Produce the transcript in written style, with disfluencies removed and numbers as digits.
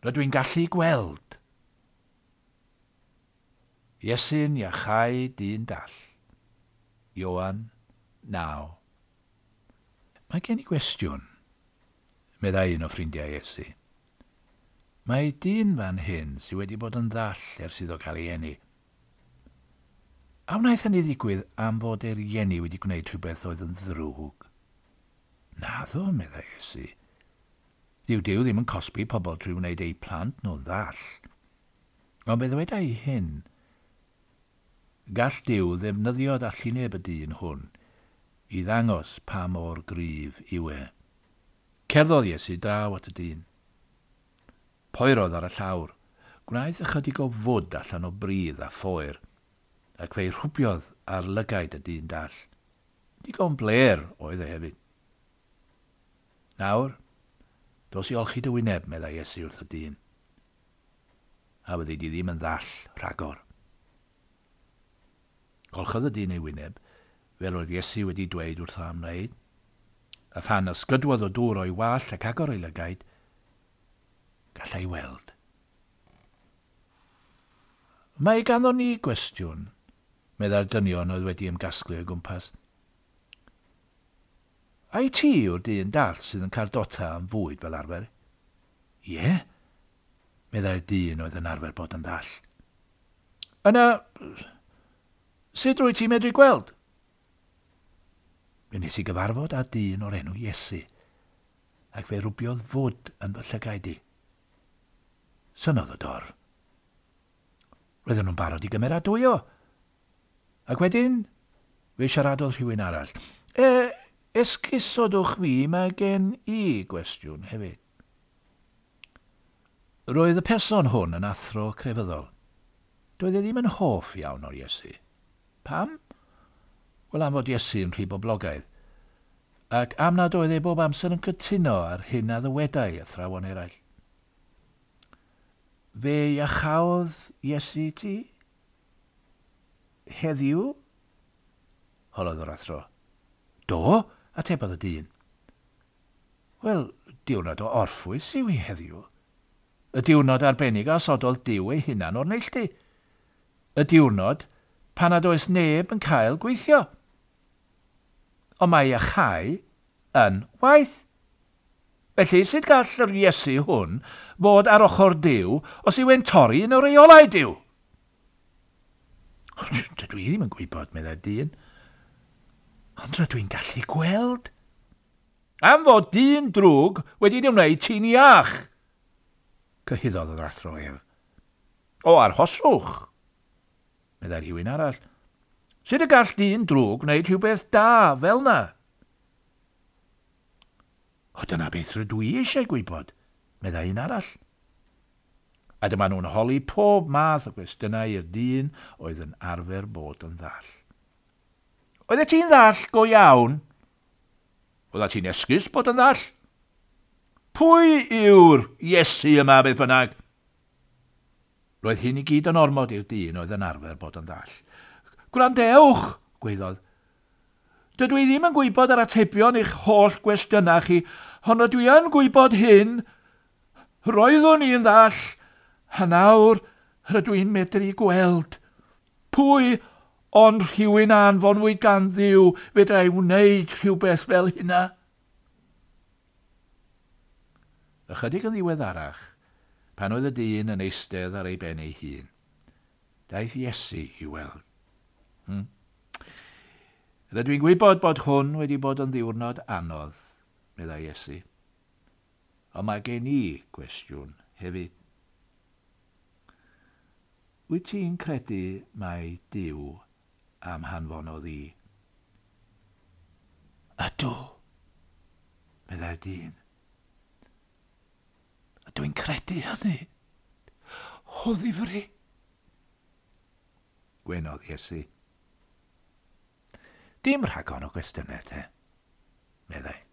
Rydw i'n gallu gweld. Iesu'n iachau dyn dall. Ioan 9. Mae gen i gwestiwn, meddai un o ffrindiau Iesu. Mae dyn fan hyn sydd wedi bod yn ddall ers iddo gael ei eni. A wnaeth hynny ddigwydd am fod ei rieni wedi gwneud rhywbeth oedd yn ddrwg? Naddo, meddai Iesu. Dyw Duw ddim yn cosbi pobl trwy wneud eu plant nhw'n ddall. Ond fe ddywedai hyn. Gall Duw ddefnyddio dallineb y dyn hwn i ddangos pa mor gryf yw e. Cerddodd Iesu draw at y dyn. Poerodd ar y llawr. Gwnaeth ychydig o fwd allan o bridd a phoer, ac fe'i rhwbiodd ar lygaid y dyn dall. Digon blêr oedd e hefyd. Nawr, dos i olchi dy wyneb, meddai Iesu wrth y dyn. A fyddi di ddim yn ddall rhagor. Golchodd y dyn ei wyneb, fel oedd Iesu wedi dweud wrtho am wneud, a phan ysgydwodd o dŵr o'i wallt ac agor ei lygaid, gallai weld. Mae ganddo ni gwestiwn, meddai'r dynion oedd wedi ymgasglu o'i gwmpas. Ai ti yw'r dyn dall sydd yn cardota am fwyd fel arfer? Ie, meddai'r dyn oedd yn arfer bod yn ddall. Yna, sut rwyt ti'n medru gweld? Fe wnes i gyfarfod â dyn o'r enw Iesu, ac fe rwbiodd fwd yn fy llygaid i. Synnodd y dorf. Roedden nhw'n barod i gymeradwyo. Ac wedyn, fe siaradodd rhywun arall. E, esgusodwch fi, mae gen i gwestiwn hefyd. Roedd y person hwn yn athro crefyddol. Doedd e ddim yn hoff iawn o'r Iesu. Pam? Wel, am fod Iesu yn rhy boblogaidd, ac am nad oedd e bob amser yn cytuno ar hyn a ddywedai athrawon eraill. Fe iachaodd Iesu ti? Heddiw? Holodd yr athro. Do, atebodd y dyn. Wel, diwrnod o orffwys yw hi heddiw. Y diwrnod arbennig a osododd Duw ei hunan o'r neilltu. Y diwrnod pan nad oes neb yn cael gweithio. Ond mae iachau yn waith. Felly, sut gall yr Iesu hwn fod ar ochr Duw os yw e'n torri un o reolau Duw? Dydw i ddim yn gwybod, meddai'r dyn. Ond rydw i'n gallu gweld. Am fod dyn drwg wedi dy wneud ti'n iach, cyhuddodd yr athro ef. O, arhoswch, meddai rhywun arall. Sut y gall dyn drwg wneud rhywbeth da fel na? O, dyna beth rydw i eisiau gwybod, meddai un arall. A dyma nhw'n holi pob math o gwestiynau i'r dyn oedd yn arfer bod yn ddall. Oeddet ti'n ddall go iawn? Oeddet ti'n esgus bod yn ddall? Pwy yw'r Iesu yma beth bynnag? Roedd hyn i gyd yn ormod i'r dyn oedd yn arfer bod yn ddall. Gwrandewch, gwaeddodd. Dydw i ddim yn gwybod yr atebion i'ch holl gwestiynau chi, ond rydw i yn gwybod hyn. Roeddwn i'n ddall, a nawr rydw i'n medru gweld. Pwy ond rhywun a anfonwyd gan Dduw fedrai wneud rhywbeth fel hynna? Ychydig yn ddiweddarach, pan oedd y dyn yn eistedd ar ei ben ei hun, daeth Iesu i weld. Rydw i'n gwybod bod hwn wedi bod yn ddiwrnod anodd, meddai Iesu. Ond mae gen i gwestiwn hefyd. Wyt ti'n credu mai Duw am hanfonodd i? Ydw, meddai'r dyn. Ydw i'n credu hynny. O ddifri. Gwenodd Iesu. Dim rhagor o gwestiynau te, meddai.